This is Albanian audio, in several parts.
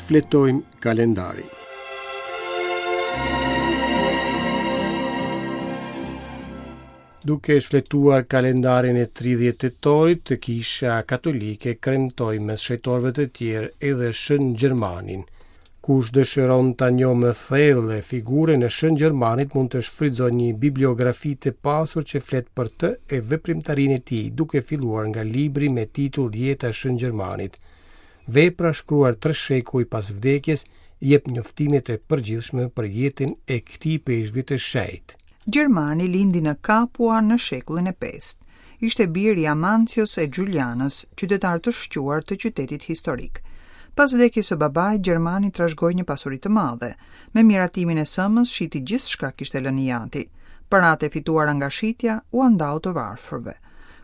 Shfletojmë kalendarin. Duke shfletuar kalendarin e 30 tetorit, Kisha Katolike kremtoi mes shenjtorëve të tjerë edhe Shën Gjermanin. Kush dëshiron ta njohë më thellë figurën e Shën Gjermanit mund të shfrytëzojë një bibliografi të pasur që flet për të e veprimtarinë e tij, duke filluar nga libri me titull Jeta e Shën Gjermanit. Vepra shkruar tre shekuj pas vdekjes jep njoftime të përgjithshme për jetën e këtij ipeshkvi të shenjtë. Gjermani lindi në Kapua në shekullin e pestë. Ishte bir i Amancios e Xhulianës, qytetarë të shquar të qytetit historik. Pas vdekjes së babait, Gjermani trashëgoi një pasuri të madhe. Me miratimin e sëmës, shiti gjithçka kishte lënë i ati. Paratë e fituara nga shitja ua ndau të varfërve.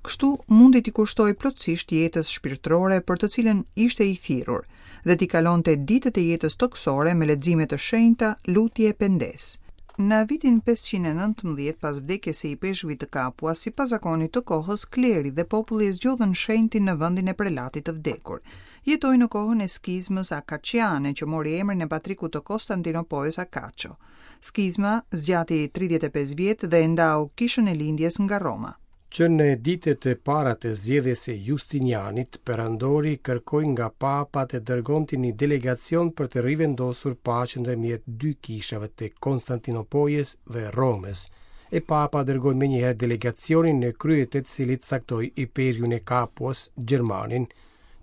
Kështu mundi t'i kushtohej plotësisht jetës shpirtërore për të cilën ishte i thirrur dhe t'i kalonte ditët e jetës tokësore me lexime të shenjta, lutje e pendesë. Në vitin 519, pas vdekjes së ipeshkvit të Kapuas, sipas zakonit të kohës, kleri dhe populli e zgjodhën shenjtin në vendin e prelatit të vdekur. Jetoi në kohën e skizmës akaciane, që mori emrin e patrikut të Konstantinopojës Akacio. Skizma zgjati 35 vjet dhe e ndau Kishën e Lindjes nga Roma. Që në ditët e para të zgjedhjes së Justinianit, perandori kërkoi nga Papa të dërgonte një delegacion për të rivendosur paqen ndërmjet dy kishave të Konstantinopojës dhe Romës. E Papa dërgoi menjëherë delegacionin në krye të të cilit caktoi ipeshkvin e Kapuas, Gjermanin,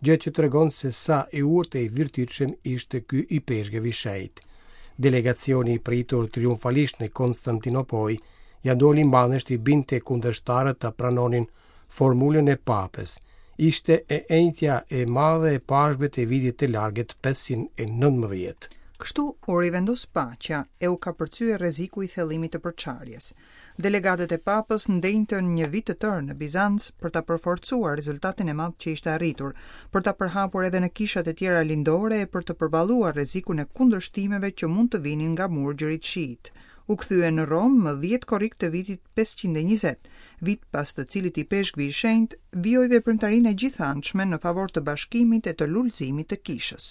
gjë që tregon se sa i urtë e i virtytshëm ishte ky ipeshkëv i shenjtë. Delegacioni i pritur triumfalisht në Konstantinopojë ia doli mbanë t'i bindte kundërshtarët ta pranonin formulën e Papës. Ishte e enjtja e madhe e Pashkëve të vitit të largët 519. Kështu u rivendos paqja e u kapërcye rreziku i thellimit të përçarjes. Delegatët e Papës ndenjtën një vit të tërë në Bizanc për ta përforcuar rezultatin e madh që ishte arritur, për ta përhapur edhe në kishat e tjera lindore e për të përballuar rrezikun e kundërshtimeve që mund të vinin nga murgjërit shiitë. U kthyen në Romë më 10 korrik të vitit 520, vit pas të cilit ipeshkvi i shenjtë vijoi veprimtarinë e gjithanshme në favor të bashkimit e të lulëzimit të kishës.